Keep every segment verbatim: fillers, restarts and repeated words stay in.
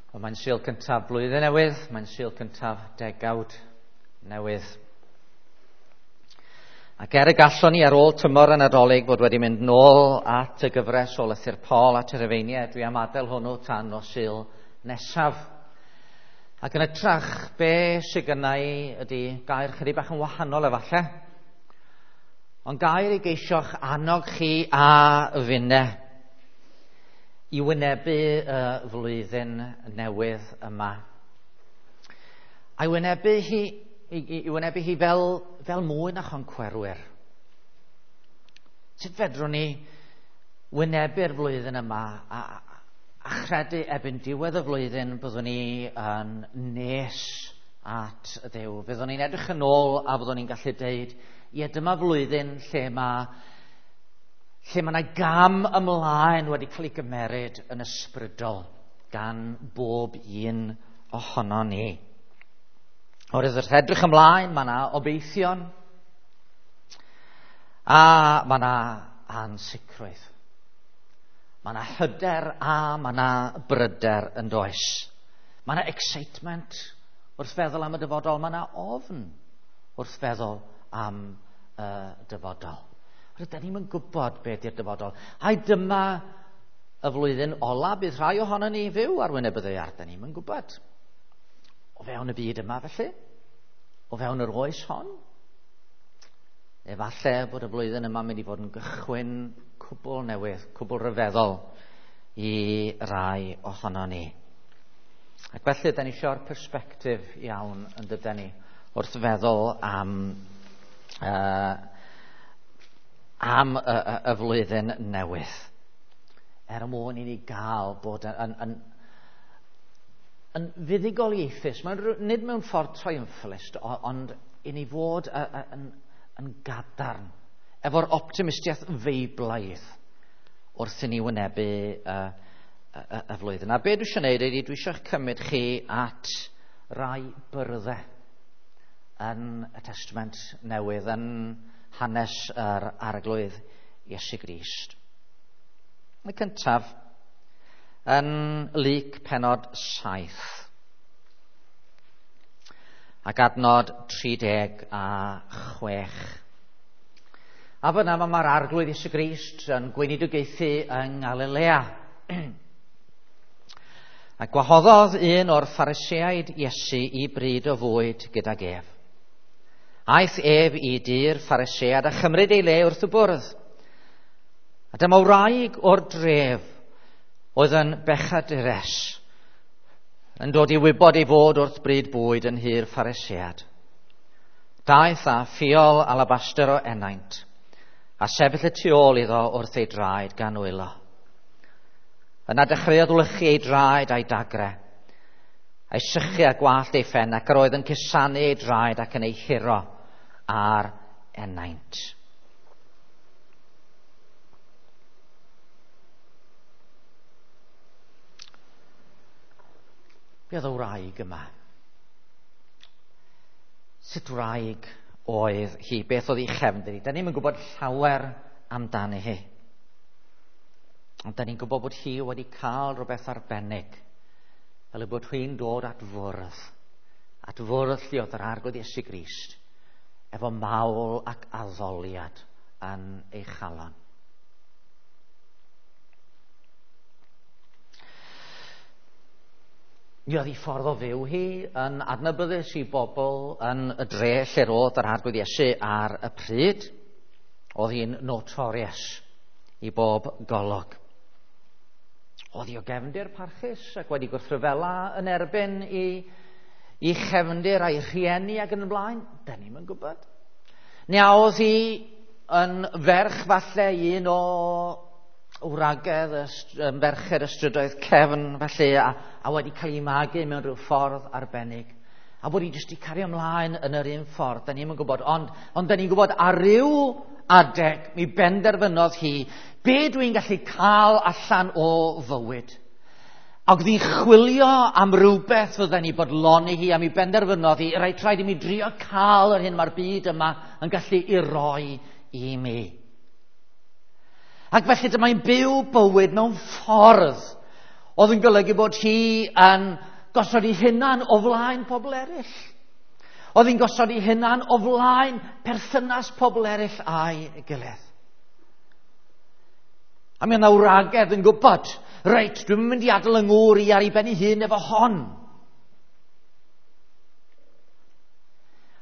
Wel, mae'n Sul cyntaf blwyddyn newydd, mae'n Sul cyntaf degawd newydd. Ac er y gallwn ni ar ôl tymor y Nadolig fod wedi mynd nôl at y gyfres o lythyr Paul at y Rhufeiniaid, dwi am adael hwnnw tan nos Sul nesaf. Ac yn hytrach, be sy gynna i ydy gair chydig bach yn wahanol efallai, ond gair i geisio'ch annog chi a finne i wynebu y flwyddyn newydd yma. A'i wynebu hi, i, i wynebu hi fel, fel mwy na choncwerwyr. Sut fedrwn ni wynebu'r flwyddyn yma a, a chredu erbyn diwedd y flwyddyn byddwn ni yn nes at Dduw. Fyddwn ni'n edrych yn ôl a fyddwn ni'n gallu deud, ie, dyma flwyddyn lle mae lle mae yna gam ymlaen wedi cael ei gymeryd yn ysbrydol gan bob un ohono ni. Oherwydd wrth edrych ymlaen, mae yna obeithion a mae yna ansicrwydd. Mae yna hyder a mae yna bryder yn does. Mae yna excitement wrth feddwl am y dyfodol, mae yna ofn wrth feddwl am y dyfodol. Rydyn ni'n gwybod beth yw'r dyfodol. Ai dyma y flwyddyn ola bydd rhai ohono ni fyw ar wyneb y ddaear. Dyn ni'n gwybod. O fewn y byd yma felly? O fewn yr oes hon? Efallai bod y flwyddyn yma'n mynd i fod yn gychwyn cwbl newydd, cwbl ryfeddol i rai ohono ni. Ac felly, da ni eisiau'r persbectif iawn yn dydyn ni wrth feddwl am uh, am y, y, y flwyddyn newydd. Er mwyn i ni gael bod yn, yn, yn, yn fuddugoliaethus, mae'n, nid mewn ffordd triumphalist, ond i ni fod yn, yn gadarn, efo'r optimistiaeth feiblaidd wrth i ni wynebu y, y, y, y flwyddyn. A be dwi eisiau gwneud ydy, dwi eisiau cymryd chi at rai byrddau yn y Testament Newydd, yn hanes yr Arglwydd Iesu Grist. Y cyntaf, yn Luc pennod saith, ac adnod tri deg a chwech. A fyna mae'r Arglwydd Iesu Grist yn gweinidogaethu yng Ngalilea. A gwahoddodd un o'r Phariseaid Iesu i bryd o fwyd gydag ef. Aeth ef i dŷ'r Pharisead a chymryd ei le wrth y bwrdd. A dyma wraig o'r dref oedd yn bechadures yn dod i wybod ei fod wrth bryd bwyd yn nhŷ'r Pharisead. Daeth â ffiol alabaster o ennaint a sefyll y tu ôl iddo wrth ei draed gan wylo. Yna dechreuodd wlychu ei draed a'i dagre, a'i sychu a gwallt ei phen, ac yr oedd yn cusanu ei draed ac yn ei huro ar ennaint. Be oedd y wraig yma? Sut wraig oedd hi? Beth oedd ei chefndir hi? Da ni'm yn gwybod llawer amdani hi. Ond da ni'n gwybod bod hi wedi cael rhywbeth arbennig, fel y bod hi'n dod at fwrdd, at fwrdd lle oedd yr Arglwydd Iesu Grist, efo mawl ac addoliad yn ei chalon. Mi oedd ei ffordd o fyw hi yn adnabyddus i bobl yn y dre lle roedd yr Arglwydd Iesu ar y pryd. Oedd hi'n notorious i bob golwg. Oedd hi o gefndir parchus ac wedi gwrthryfela yn erbyn i, i chefndir a'i rhieni ac yn y blaen. Da ni'm yn gwybod. Neu a oedd hi yn ferch falle un o wragedd, ferched y strydoedd cefn felly, a, a wedi cael ei magu mewn rhyw ffordd arbennig. A bod hi jyst i cario ymlaen yn yr un ffordd, da ni'm yn gwybod. Ond, ond da ni'n gwybod ar ryw adeg mi benderfynodd hi, be dwi'n gallu cael allan o fywyd? Ac oedd hi'n chwilio am rywbeth fydden ni bodloni hi, a mi benderfynodd hi, rhaid rhaid i mi drio cael yr hyn mae'r byd yma yn gallu i roi i mi. Ac felly dyma'n byw bywyd mewn ffordd Oedd yn golygu bod hi yn gosod ei hunan o flaen pobl eraill. Oedd hi'n gosod ei hunan o flaen perthynas pobl eraill a'i gilydd. A mi oedd wragedd yn gwybod, reit, dwi'n mynd i adael yng ngŵr i ar ei ben ei hun efo hon.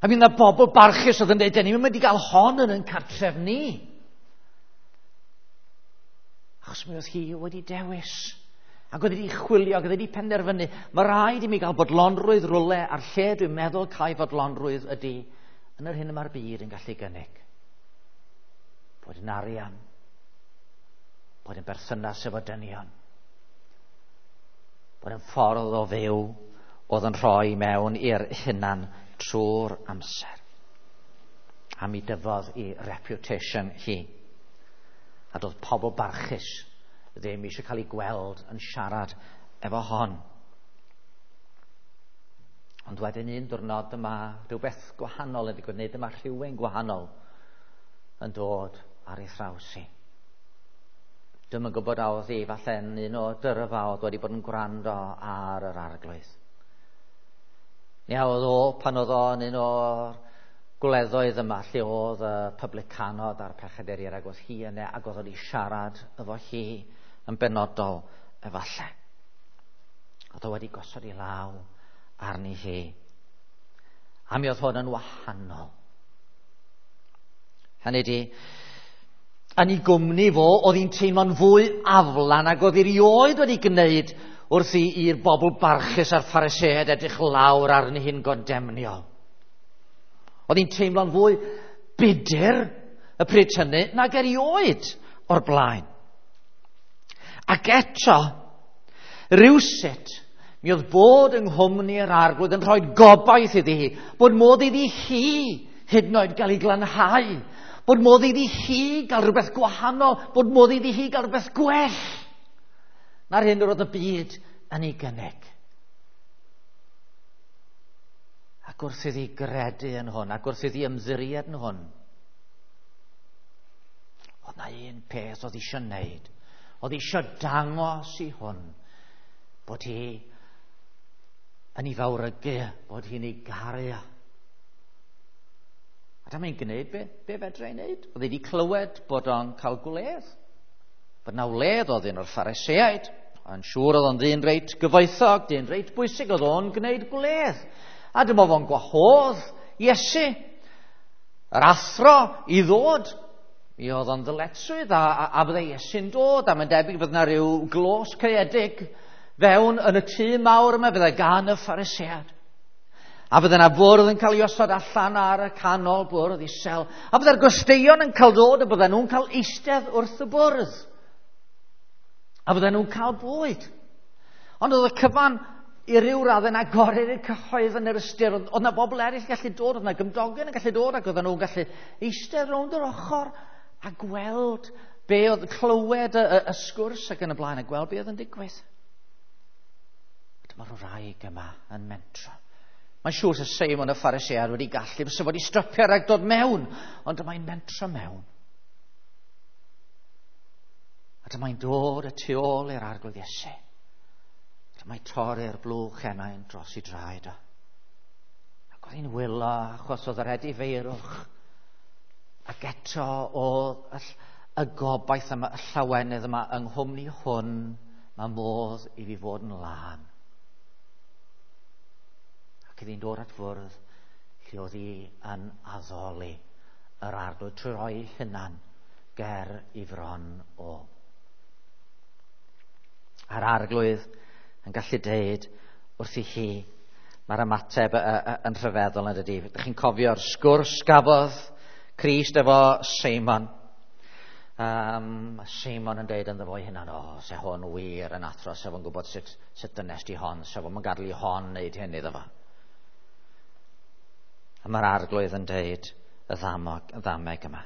A mi oedd bobl barchus oedd yn dweud, ni'n mynd i gael hon yn ein cartref ni. Achos mi oedd hi wedi dewis. Ac oedd wedi chwilio, ac oedd wedi penderfynu, mae rhaid i mi gael bodlonrwydd rwle a'r lle dwi'n meddwl cael bodlonrwydd ydy yn yr hyn y mae'r byd yn gallu gynnig. Bod yn arian, bod yn berthynas efo dynion, bod yn ffordd o fyw oedd yn rhoi mewn i'r hunan trwy'r amser. A mi dyfodd i reputation hi. A doedd pobl barchus ddim eisiau cael ei gweld yn siarad efo hon. Ond wedyn un diwrnod dyma rhywbeth gwahanol yn digwydd, neu dyma rhywun gwahanol yn dod ar ei thraws hi. Dwi'm yn gwybod a oedd hi falle'n un o dyrfa oedd wedi bod yn gwrando ar yr Arglwydd. Neu a oedd o pan oedd o'n un o'r gwleddoedd yma lle oedd y publicanod a'r pechaduriaid, ac oedd hi yna ac oedd wedi siarad efo hi yn benodol efallai. Oedd o wedi gosod ei law arni hi. A mi oedd hwn yn wahanol. Hynny ydi, yn ei gwmni fo, oedd hi'n teimlo'n fwy aflan ac oedd hi erioed wedi gwneud wrth i'r bobl barchus a'r Phariseaid edrych lawr arni hi'n gondemniol. Oedd hi'n teimlo'n fwy budur y pryd hynny nag erioed o'r blaen. Ac eto, rywsut, mi oedd bod yng nghwmni yr Arglwydd yn rhoi gobaith iddi hi, bod modd iddi hi hyd yn oed gael ei glanhau, bod modd iddi hi gael rhywbeth gwahanol, bod modd iddi hi gael rhywbeth gwell na'r hyn yr oedd y byd yn ei gynnig. Ac wrth iddi gredu yn hwn, ac wrth iddi ymddiried yn hwn, oedd na un peth oedd eisiau wneud. Oedd eisiau dangos i hwn bod hi yn ei fawrygu, bod hi'n ei garu. A dyma hi'n gwneud be, be fedra ei wneud. Oedd hi wedi clywed bod o'n cael gwledd. Bod na wledd oedd un o'r Phariseaid. Yn siŵr oedd o'n ddyn reit gyfoethog, dyn reit bwysig, oedd o'n gwneud gwledd. A dyma fo'n gwahodd Iesu, yr athro, i ddod. Mi oedd o'n ddyletswydd a, a, a bydde Iesu'n dod, a mae'n debyg bydd yna rhyw glos caeedig fewn yn y tŷ mawr yma, bydde gan y Phariseaid. A bydde yna fwrdd yn cael ei osod allan ar y canol bwrdd isel. A bydde'r gwesteion yn cael dod a bydde nhw'n cael eistedd wrth y bwrdd. A bydde nhw'n cael bwyd. Ond oedd y cyfan i ryw raddau'n agored i'r cyhoedd yn yr ystyr. Oedd yna bobl eraill yn gallu dod, oedd yna gymdogion yn gallu dod, ac oedden nhw'n gallu eistedd rownd yr ochr a gweld be oedd, clywed y, y, y sgwrs ac yn y blaen, a gweld be oedd yn digwydd. Dyma'r wraig yma yn mentro. Mae'n siŵr sef Seimon y Pharisead wedi gallu, fysa wedi stopio rhag dod mewn, ond dyma'n mentro mewn. A dyma'n dod y tu ôl i'r Arglwydd Iesu. Dyma'n torri'r blwch enau'n dros i draed o. Ac oedd hi'n wylo achos oedd yr edifeirwch. Ac eto oedd y, y gobaith yma, y llawenydd yma yng nghwmni hwn, mae modd i fi fod yn lân. Ac iddi'n dod at fwrdd lle oedd hi yn addoli yr Arglwydd trwy roi hunan ger i fron o. A'r Arglwydd yn gallu deud wrth i hi, mae'r ymateb yn rhyfeddol yn dydi. Ydych chi'n cofio'r sgwrs gafodd Crist efo Seimon? Um, Seimon yn deud ynddo fo ei hunan, o, oh, se hwn wir yn athro, se fo'n gwybod sut, sut dynes di hon, se fo'n gadael i hon wneud hyn iddo fo. A mae'r Arglwydd yn deud y ddamog, y ddameg yma.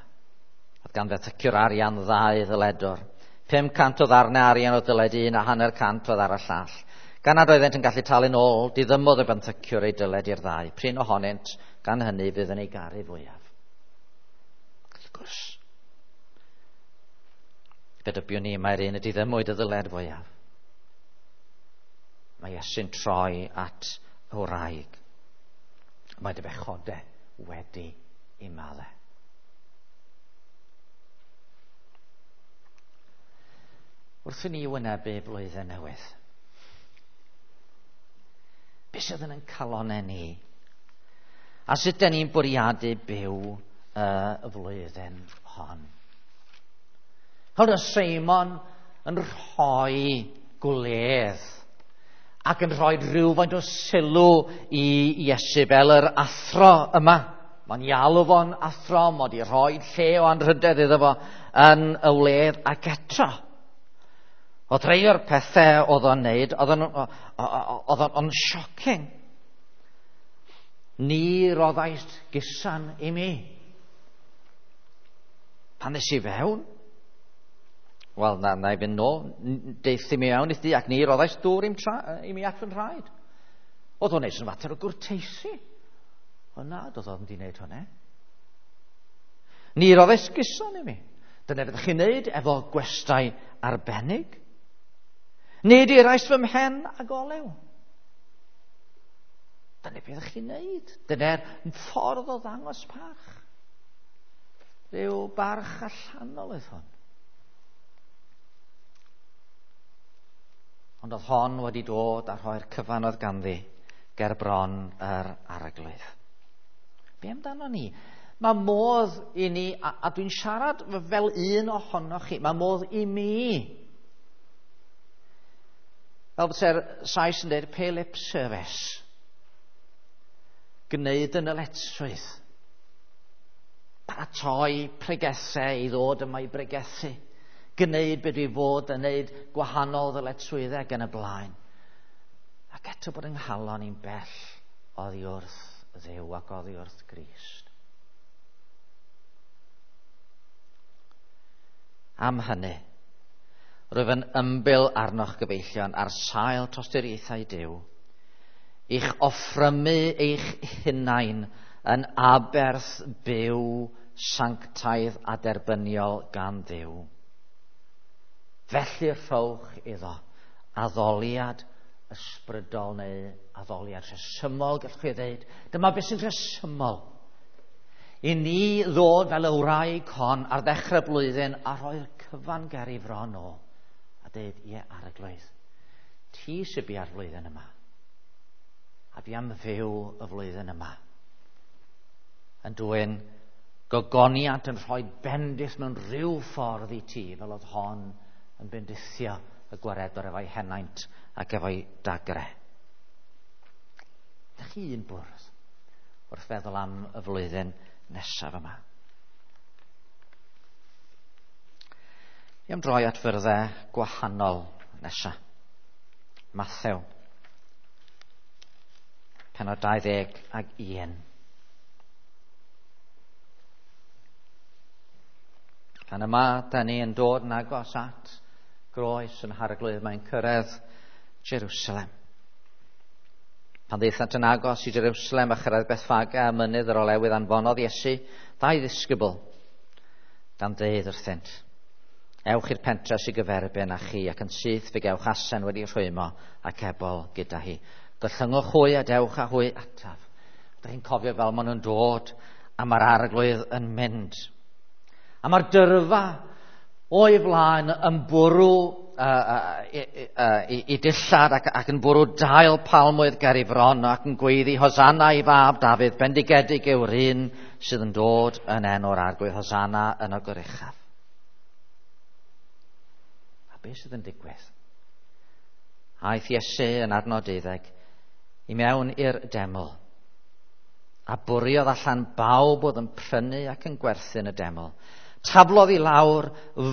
Oedd gan fenthyciwr arian ddau ddyledwr. Pum cant o ddarnau arian o dyled un a hanner cant oedd ar y llall. Gan nad oeddent yn gallu talu'n ôl, diddymodd y benthyciwr ei dyled i'r ddau. Prin ohonynt, gan hynny, fydd yn ei garu fwyaf. Wrth gwrs, fe dybiwn ni mae'r un y diddymwyd y ddyled fwyaf. Mae Iesu'n troi at y wraig. Mae dy bechodau wedi ei maddau. Wrth i ni wynebu blwyddyn newydd, beth sydd yn ein calonnau ni? A sut dan ni'n bwriadu byw y flwyddyn hon? Oedd Seimon yn rhoi gwledd ac yn rhoi rhywfaint o sylw i Iesu fel yr athro yma. Mae'n i alw fo'n athro, mod i rhoi lle o anrhydedd iddo fo yn y wledd ac eto. Oedd rhai o'r pethau oedd o'n neud, oedd o'n shocking. Ni roddaist gusan i mi. Pan nes i fewn, wel, na, na i fynd nôl, deith i mi mewn i ti, ac ni roddaist dŵr i'm tra, i mi at fy nhraed. Oedd o'n neud yn fater o gwrteisi. O na, doedd o'n di wneud hwnna. Ni roddaist gusan i mi. Dyna fyddech chi'n neud efo gwestai arbennig. Nid irais fy mhen ag olew. Dyna beth ydych chi'n neud. Dyna'r ffordd o ddangos parch. Rhyw barch allanol oedd hwn. Ond oedd hon wedi dod a rhoi'r cyfan oedd ganddi ger bron yr arglwydd. Be amdano ni? Mae modd i ni, a, a dwi'n siarad fel un ohonoch chi, mae modd i mi. Fel byse'r Sais yn dweud, pay lip service. Gwneud yn yletswydd. Paratoi pregethau i ddod yma i bregethu. Gwneud beth dwi fod yn gwneud gwahanol ddyletswyddau gan y blaen. Ac eto bod yng nghalon i'n bell oddi wrth Dduw ac oddi wrth Grist. Am hynny, rwyf yn ymbil arnoch gyfeillion ar sail tosturiaethau Duw, i'ch offrymu eich hunain yn aberth byw, sanctaidd a derbyniol gan Dduw. Felly rhowch iddo addoliad ysbrydol neu addoliad rhesymol, gallwch chi ddeud. Dyma beth sy'n rhesymol. I ni ddod fel y wraig hon ar ddechrau blwyddyn a rhoi'r cyfan ger ei fron o a dweud, ie, Arglwydd, ti sy'n bia'r flwyddyn yma. A fi am fyw y flwyddyn yma. Yn dwyn gogoniant yn rhoi bendith mewn rhyw ffordd i ti, fel oedd hon yn bendithio y gwaredwr efo'i henaint ac efo'i dagre. Dych chi un bwrdd wrth feddwl am y flwyddyn nesaf yma. I am droi at fyrddau gwahanol nesaf. Mathew, pennod dau ddeg ag un. Pan yma, da ni yn dod yn agos at groes yn Harglwydd, mae'n cyrraedd Jerusalem. Pan ddaethant yn agos i Jerusalem a chyrraedd Bethfage a mynydd yr olewydd, anfonodd Iesu ddau ddisgybl gan ddeud wrthynt, ewch i'r pentre sy'n gyferbyn â chi ac yn syth fe gewch asen wedi rhwymo ac ebol gyda hi. Gollyngwch hwy a dewch â hwy ataf. Ydych chi'n cofio fel maen nhw'n dod a mae'r arglwydd yn mynd. A mae'r dyrfa o'i flaen yn bwrw uh, uh, i, uh, i, i dillad ac, ac yn bwrw dail palmwydd ger ei fron ac yn gweiddi Hosanna i fab Dafydd, bendigedig yw'r un sydd yn dod yn enw'r arglwydd, Hosanna yn y goruchaf. A beth sydd yn digwydd? Aeth Iesu yn adnod deuddeg i mewn i'r deml a bwriodd allan bawb oedd yn prynu ac yn gwerthu yn y deml. Taflodd i lawr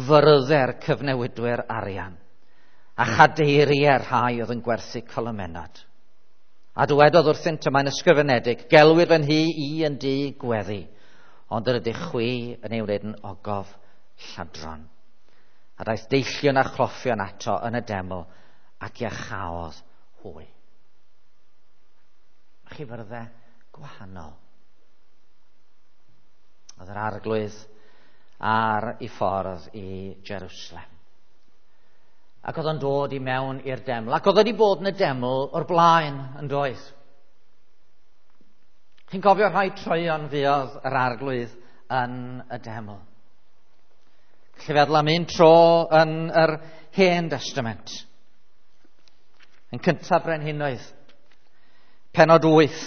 fyrddau'r cyfnewidwyr arian a chadeiriau'r rhai oedd yn gwerthu colomennod. A dywedodd wrthynt, y mae'n ysgrifenedig, gelwir fy nhŷ i yn dŷ gweddi, ond yr ydych chwi yn ei wneud yn ogof lladron. A daeth deillion a chloffion ato yn y deml ac iachaodd hwy. Mae chi fyrddau gwahanol. Oedd yr arglwydd ar ei ffordd i Jerusalem. Ac oedd o'n dod i mewn i'r deml. Ac oedd wedi bod yn y deml o'r blaen yn doedd. Chi'n cofio rhai troeon fuodd yr Arglwydd yn y deml. Felly feddwl am un tro yn yr Hen Testament. Yn cyntaf Brenhinoedd, pennod wyth.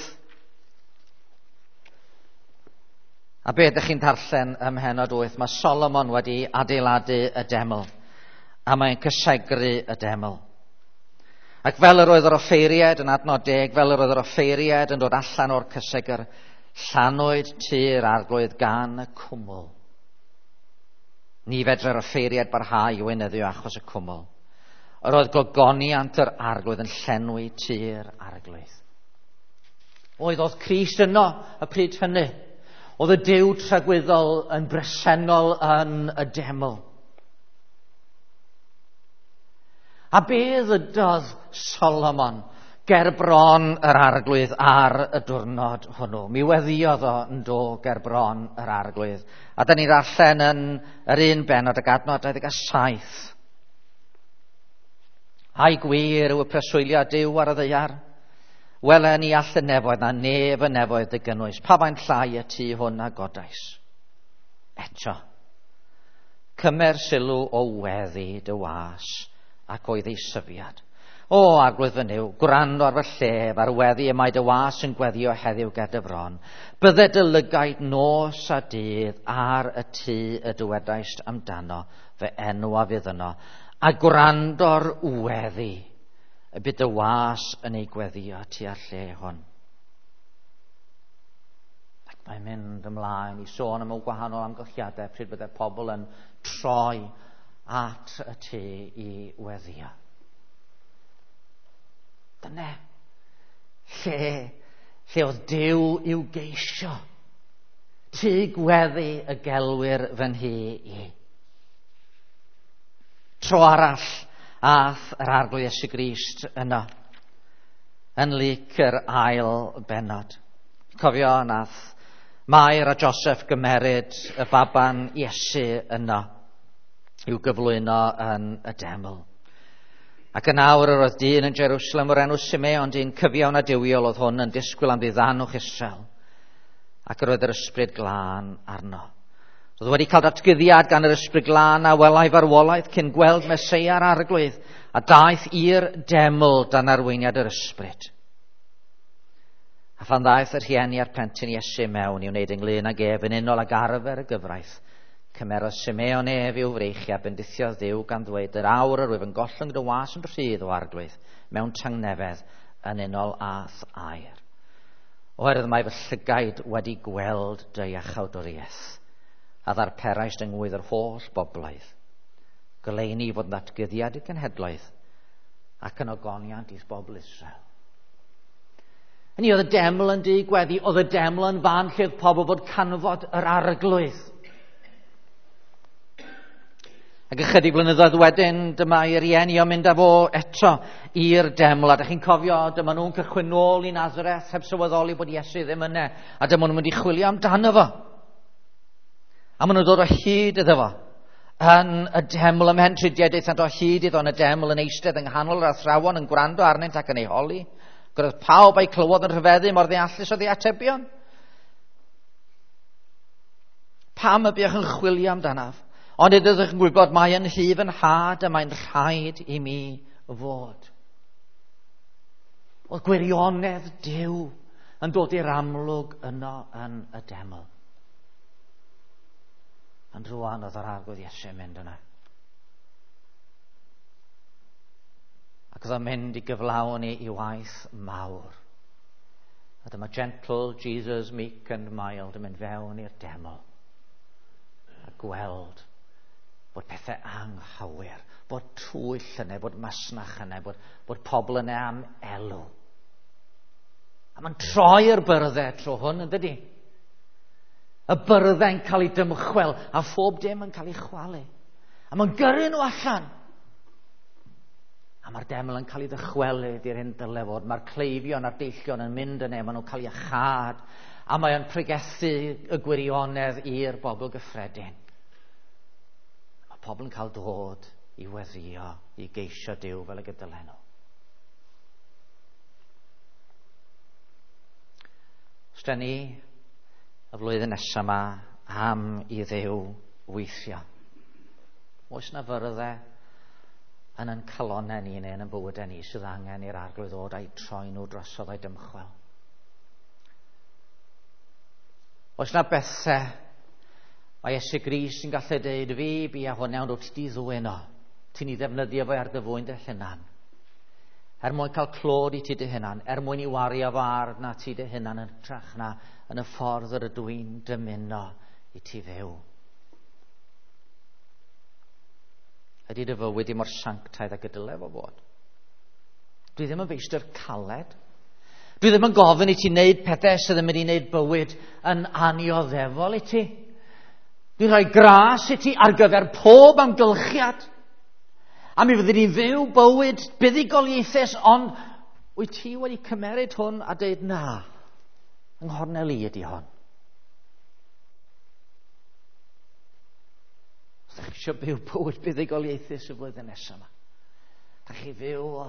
A be ydych chi'n darllen ym mhennod wyth? Mae Solomon wedi adeiladu y deml, a mae'n cysegru y deml. Ac fel yr oedd yr offeiriad yn adnod deg, fel yr oedd yr offeiriad yn dod allan o'r cysegr, llanwyd tŷ'r Arglwydd gan y cwmwl. Ni fedrai'r offeiriad barhau i weinyddu achos y cwmwl. Yr oedd gogoniant yr Arglwydd yn llenwi tŷ'r Arglwydd. Oedd oedd Crist yno y pryd hynny. Oedd y Duw tragwyddol yn bresennol yn y deml. A be ddydodd Solomon ger bron yr Arglwydd ar y diwrnod hwnnw? Mi weddiodd o yn do ger bron yr Arglwydd. A da ni'n darllen yn yr un bennod ag adnod dau ddeg a saith. Ai gwir yw y preswyliad Duw ar y ddaear? Wele ni all y nefoedd na nef y nefoedd dy gynnwys. Pa faint llai y tŷ hwn a godais? Eto, cymer sylw o weddi dy was ac oedd ei syfiad. O, Arglwydd fy Nuw, gwrando ar fy llef, ar weddi y mae dy was yn gweddio heddiw ger dy fron. Bydde dy lygaid nos a dydd ar y tŷ y dywedaist amdano, fy enw a fydd yno, a gwrando'r weddi y bydd dy was yn ei gweddio tua'r lle hwn. Ac mae'n mynd ymlaen i sôn am y gwahanol amgylchiadau pryd bydde pobl yn troi at y tŷ i weddio. Dyna lle, lle oedd Duw i'w geisio. Tŷ gweddi y gelwir fy nhŷ i. Tro arall ath yr Arglwydd Iesu Grist yno, yn Luc yr ail bennod. Cofio nath Mair a Joseph gymeryd y baban Iesu yno i'w gyflwyno yn y deml. Ac yn awr yr oedd dyn yn Jerusalem o'r enw Simeon, dyn cyfiawn a duwiol oedd hwn, yn disgwyl am ddiddanwch Israel. Ac yr oedd yr ysbryd glân arno. Oedd wedi cael datguddiad gan yr ysbryd glân a welai farwolaeth cyn gweld Meseia'r Arglwydd, a daeth i'r deml dan arweiniad yr ysbryd. A phan ddaeth y rhieni a'r plentyn Iesu mewn i wneud ynglyn ag ef yn unol ag arfer y gyfraith, cymerodd Simeon ef i'w freichiau a bendithiodd Dduw gan ddweud, yr awr yr wyf yn gollwng dy was yn rhydd o Arglwydd mewn tangnefedd yn unol â'th air. Oherwydd mae fy llygaid wedi gweld dy iachawdwriaeth, a ddarperaist yng ngwydd yr holl bobloedd. Goleuni i fod yn ddatguddiad i'r genhedloedd ac yn ogoniant i'th bobl Israel. Hynny oedd y deml yn dŷ gweddi, oedd y deml yn fan lle oedd pobl fod canfod yr Arglwydd. Ac ychydig blynyddoedd wedyn, dyma ei rieni o'n mynd â fo eto i'r deml. A dych chi'n cofio, dyma nhw'n cychwyn nôl i Nazareth heb sylweddoli bod Iesu ddim yna. A dyma nhw'n mynd i chwilio amdano fo. A maen nhw'n dod o hyd iddo fo. Yn y deml ymhen tridiau, daethant o hyd iddo yn y deml yn eistedd yng nghanol yr athrawon yn gwrando arnynt ac yn ei holi. Gwrdd pawb a'i clywodd yn rhyfeddu mor ddeallus oedd ei atebion. Pam y buoch yn chwilio amdanaf? Ond ydych yn gwybod mai yn nhŷ fy nhad y mae'n rhaid i mi fod. Oedd gwirionedd Duw yn dod i'r amlwg yno yn y deml. Ond rwan oedd yr Arglwydd Iesu yn mynd yna. Ac oedd o'n mynd i gyflawni i waith mawr. A dyma gentle Jesus, meek and mild, yn mynd fewn i'r deml. A gweld bod pethau anghywir, bod twyll yna, bod masnach yna, bod, bod pobl yna am elw. A mae'n troi'r byrddau tro hwn, yn dydi? Y byrddau'n cael ei dymchwel, a phob dim yn cael ei chwalu. A mae'n gyrru nhw allan. A mae'r deml yn cael ei ddychwelyd i'r hyn dyle fod. Mae'r cleifion a'r deillion yn mynd yna, maen nhw'n cael ei iachâd. A mae'n pregethu y gwirionedd i'r bobl gyffredin. Pobl yn cael dod i weddio, i geisio Duw fel y gydylen nhw. Os da ni y flwyddyn nesaf yma am i Dduw weithio, oes na fyrddau yn yn calonnau ni neu yn yn bywydau ni sydd angen i'r Arglwydd ddod a'i troi nhw drosodd a'i dymchwel? Oes na bethau mae Iesu Grist yn gallu deud, fi bi a hwn, iawn, wrth di ddwyn o. Ti'n ei ddefnyddio fo ar dy fwyn dy hunan. Er mwyn cael clod i ti dy hunan, er mwyn i wario fo ar na ti dy hunan yn hytrach na yn y ffordd yr ydw i'n dymuno i ti fyw. Ydy dy fywyd i mor sanctaidd ag y dyle fo fod? Dwi ddim yn feistr caled. Dwi ddim yn gofyn i ti wneud pethau sydd yn mynd i wneud bywyd yn annioddefol i ti. Dwi'n rhoi gras i ti ar gyfer pob amgylchiad. A mi fyddi ni'n fyw bywyd buddugoliaethus, ond wyt ti wedi cymeryd hwn a dweud na, yng nghornel i ydy hon. Os ydych chi eisiau byw bywyd buddugoliaethus y flwyddyn nesaf yma, ydych chi fyw o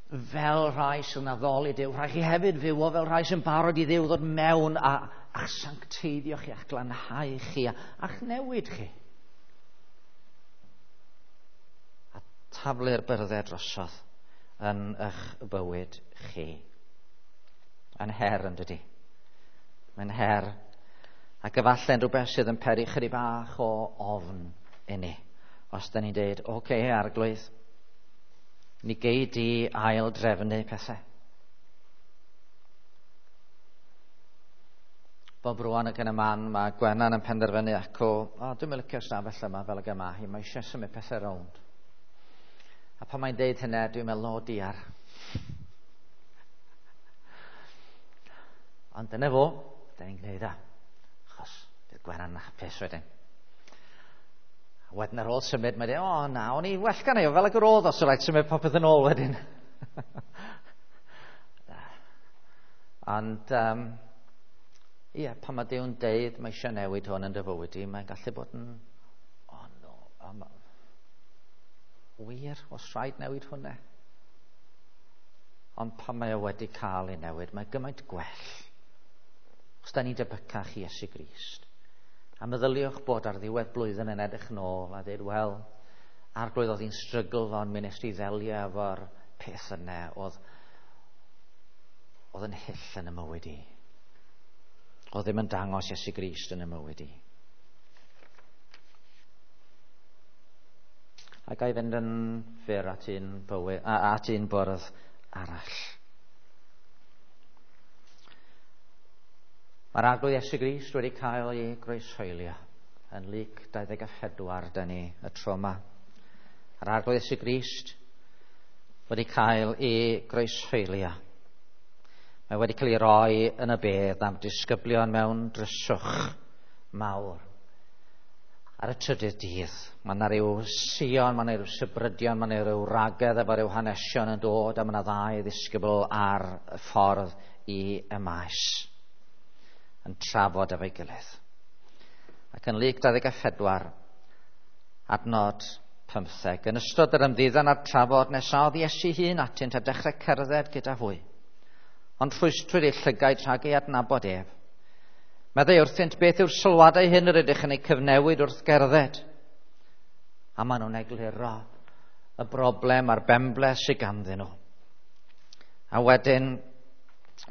fel rhai sy'n addoli Duw, rhaid chi hefyd fyw o fel rhai sy'n barod i Dduw ddod mewn a, a'ch sancteiddio chi, a'ch glanhau chi, a'ch newid chi. A taflu'r byrddau drosodd yn eich bywyd chi. Yn her, yn dydi? Mae'n her. Ac efallai'n rhywbeth sydd yn peri chydig bach o ofn i ni. Os da ni'n deud, oce, okay, Arglwydd, ni gei di ail drefnu pethau. Bob rwan ac yn y man, mae Gwenan yn penderfynu acw, o, dwi'n mynd licio'r stafell yma fel ag yma hi, mae eisiau symud pethau rownd. A pan mae'n deud hynny, dwi'n meddwl, o diar. Ond dyna fo, da ni'n gwneud o. Achos bydd Gwenan yn hapus wedyn. A wedyn ar ôl symud, mae'n dweud, o na, o'n i well gan ei, fel ag yr oedd os o rhaid symud popeth yn ôl wedyn. Ond, um, ie, pan mae Duw'n deud mae eisiau newid hwn yn dy fywyd i, mae'n gallu bod yn, o oh, no, um, wir, os rhaid newid hwnna. Ond pan mae o wedi cael ei newid, mae gymaint gwell. Os da ni'n debycach i Iesu Grist. A meddyliwch bod ar ddiwedd blwyddyn yn edrych nôl a dweud, wel, Arglwydd oedd hi'n strygl fo'n mynd i ddelio efo'r peth yna oedd, oedd yn hyll yn y mywyd i. Oedd ddim yn dangos Iesu Grist yn y mywyd i. A ga i fynd yn fyr at un, bywyd, at un bwrdd arall. Mae'r Arglwydd Iesu Grist wedi cael ei groeshoelio yn Luc dau ddeg a phedwar, da ni y tro yma. Mae'r Arglwydd Iesu Grist wedi cael ei groeshoelio. Mae wedi cael ei roi yn y bedd am disgyblion mewn dryswch mawr. Ar y trydydd dydd, mae yna ryw sion, mae yna ryw sybrydion, mae yna ryw ragedd efo ryw hanesion yn dod, a mae yna ddau ddisgybl ar y ffordd i y maes yn trafod efo'i gilydd. Ac yn Luc dau ddeg a phedwar, adnod pymtheg, yn ystod yr ymddiddan a'r trafod nesaodd Iesu hun atynt a dechrau cerdded gyda hwy. Ond rhwystrwyd eu llygaid rhag ei adnabod ef. Meddai wrthynt, beth yw'r sylwadau hyn yr ydych yn eu cyfnewid wrth gerdded? A maen nhw'n egluro y broblem a'r benbleth sydd ganddyn nhw. A wedyn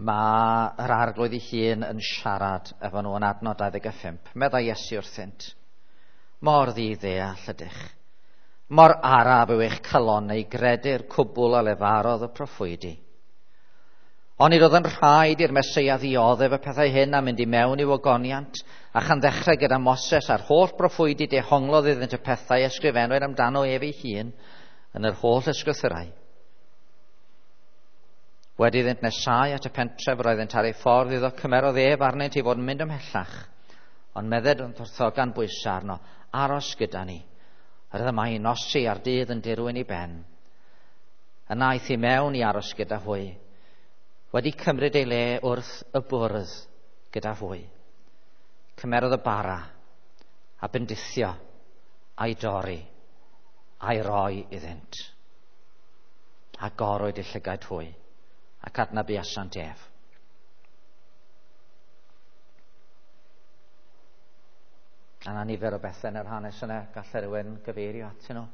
mae yr Arglwydd ei hun yn siarad efo nhw yn adnod dau ddeg a phump. Meddai Iesu wrthynt, mor ddi-ddeall ydych, mor araf yw eich calonnau i gredu'r cwbl a lefarodd y proffwydi. Onid oedd yn rhaid i'r Meseia ddioddef y pethau hyn a mynd i mewn i'w ogoniant, a chan ddechrau gyda Moses a'r holl broffwydi dehonglodd iddynt y pethau ysgrifennwyd amdano ef ei hun yn yr holl ysgrythurau. Wedi iddynt nesau at y pentref roeddynt ar ei ffordd iddo, cymerodd ef arnynt i fod yn mynd ymhellach, ond medded wrtho gan bwysau arno, aros gyda ni, yr oedd y mae nosi a'r dydd yn dirwyn i ben. Yna aeth i mewn i aros gyda hwy, wedi cymryd ei le wrth y bwrdd gyda hwy. Cymerodd y bara a bendithio a'i dorri a'i roi iddynt. A gorwyd eu llygaid hwy, ac adnabuasant ef. A 'na nifer o bethau yn yr hanes yna, gallai rhywun gyfeirio atyn nhw.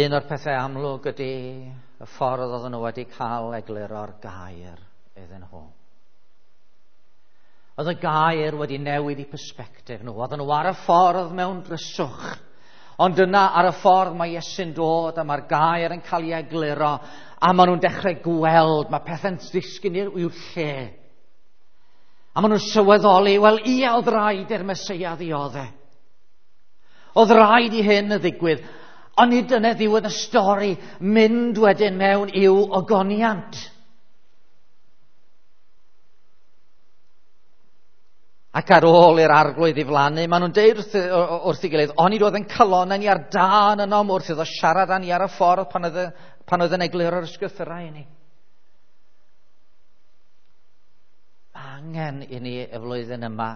Un o'r pethau amlwg ydy y ffordd oedden nhw wedi cael egluro'r gair iddyn nhw. Oedd y gair wedi newid eu persbectif nhw. Oedden nhw ar y ffordd mewn dryswch. Ond yna ar y ffordd mae Iesu'n dod a mae'r gair yn cael ei egluro a maen nhw'n dechrau gweld, mae pethau'n disgyn i'w lle. A maen nhw'n sylweddoli, wel ie, oedd rhaid i'r Meseia ddioddef. Oedd rhaid i hyn y ddigwydd. Ond nid dyna ddiwedd y stori, mynd wedyn mewn i'w ogoniant. Ac ar ôl i'r arglwydd ddiflannu, maen nhw'n deud wrth, wrth ei gilydd, onid oedd yn calonnau ni ar dân ynom wrth iddo siarad â ni ar y ffordd pan oedd, pan oedd yn egluro'r ysgrythurau i ni. Mae angen i ni y flwyddyn yma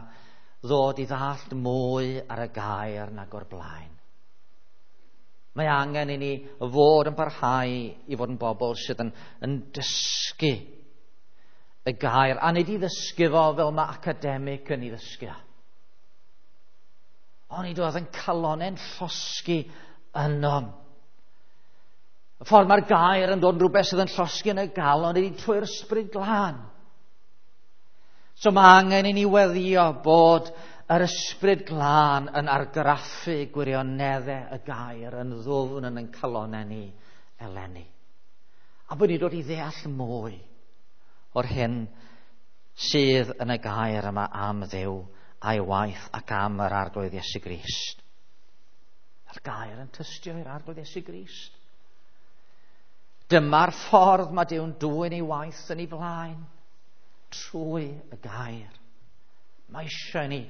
ddod i ddallt mwy ar y gair nag o'r blaen. Mae angen i ni fod yn parhau i fod yn bobl sydd yn, yn dysgu y gair, a nid i ddysgu fo fel mae academic yn ei ddysgu. Ond oedd yn calonnau'n llosgi ynom. Y ffordd mae'r gair yn dod yn rhywbeth sydd yn llosgi yn y galon ydy trwy'r Ysbryd Glân. So mae angen i ni weddio bod yr Ysbryd Glân yn argraffu gwirioneddau y gair yn ddwfn yn ein calonnau ni eleni. A bod ni'n dod i ddeall mwy o'r hyn sydd yn y gair yma am Dduw a'i waith ac am yr Arglwydd Iesu Grist. Mae'r gair yn tystio i'r Arglwydd Iesu Grist. Dyma'r ffordd mae Duw'n dwyn ei waith yn ei flaen, trwy y gair. Mae eisiau ni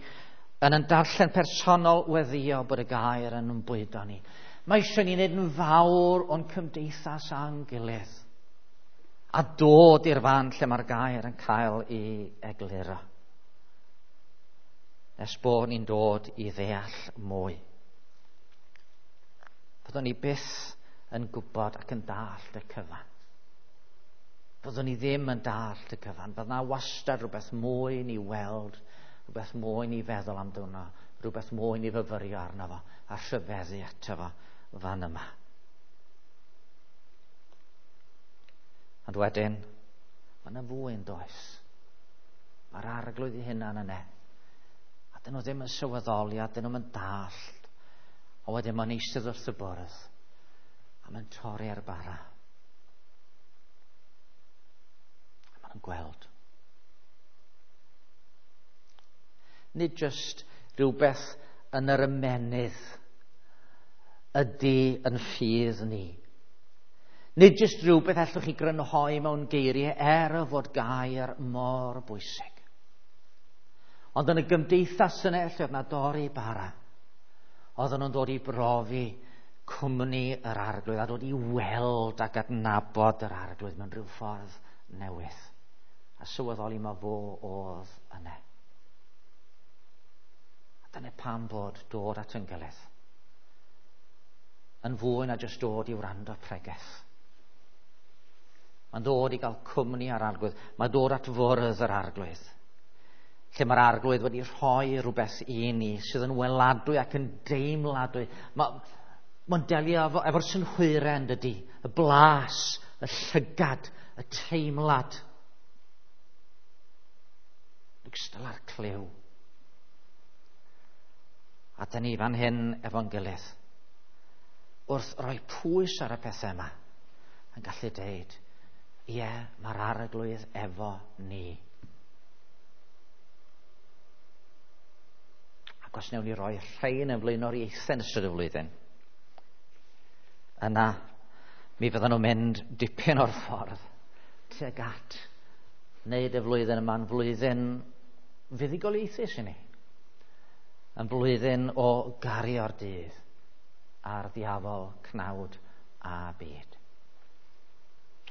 yn yn darllen personol weddio bod y gair yn bwydo ni. Mae eisiau ni wneud yn fawr o'n cymdeithas a'n gilydd a dod i'r fan lle mae'r gair yn cael ei egluro. Nes bod ni'n dod i ddeall mwy. Fyddwn ni byth yn gwybod ac yn dallt y cyfan. Fyddwn ni ddim yn dallt y cyfan. Bydd na wastad rhywbeth mwy ni weld, rhywbeth mwy ni feddwl amdano, rhywbeth mwy ni fyfyrio arno fo, a rhyfeddu ato fo fan yma. Ond wedyn, mae yna fwy yn does. Mae'r Arglwydd ei hunan yna. A dyn nhw ddim yn sylweddoli, a dyn nhw'n yn dallt. A wedyn mae'n eistedd wrth y bwrdd, a mae'n torri ar bara. A maen nhw'n gweld. Nid jyst rhywbeth yn yr ymennydd ydy yn ffydd ni. Nid jyst rhywbeth allwch chi grynhoi mewn geiriau er y fod gair mor bwysig. Ond yn y gymdeithas yna lle oedd na dorri bara, oedden nhw'n dod i brofi cwmni yr Arglwydd a dod i weld ac adnabod yr Arglwydd mewn rhyw ffordd newydd. A sylweddoli ma fo oedd yna. A dyna pam bod dod at yn gilydd yn fwy na jyst dod i wrando pregeth. Mae'n dod i gael cwmni ar Arglwydd. Mae'n dod at fwrdd yr Arglwydd. Lle mae'r Arglwydd wedi rhoi rhywbeth i ni sydd yn weladwy ac yn deimladwy. Mae, mae'n delio efo, efo'r synhwyrau yn dydy. Y blas, y llygad, y teimlad. Yn ogystal â'r clyw. A dyn ni fan hyn efo'n gilydd, wrth roi pwys ar y pethau yma, yn gallu deud, ie, mae'r Arglwydd efo ni. Ac os wnawn ni roi rhain yn flaenoriaethau yn ystod y flwyddyn, yna mi fyddan nhw'n mynd dipyn o'r ffordd tuag at wneud y flwyddyn yma'n flwyddyn fuddugoliaethus i ni. Yn flwyddyn o gario'r dydd a'r ddiafol, cnawd a byd.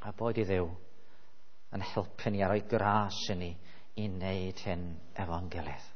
A boed i Dduw yn helpu ni a rhoi gras i ni i wneud hyn efo'n gilydd.